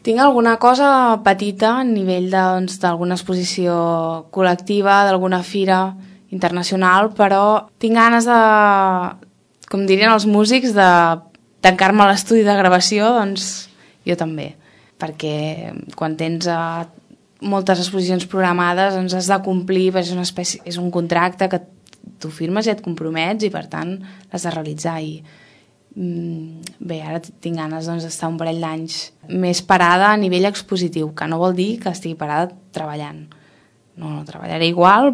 Tinc alguna cosa petita a nivell d'alguna exposició col·lectiva, d'alguna fira internacional, però tinc ganes de, com dirien els músics, de tancar-me a l'estudi de gravació, doncs jo també, perquè quan tens moltes exposicions programades doncs has de complir, és un contracte que tu firmes i et compromets i per tant l'has de realitzar i bé, ara tinc ganes d'estar un parell d'anys més parada a nivell expositiu, que no vol dir que estigui parada treballant. No, treballaré igual,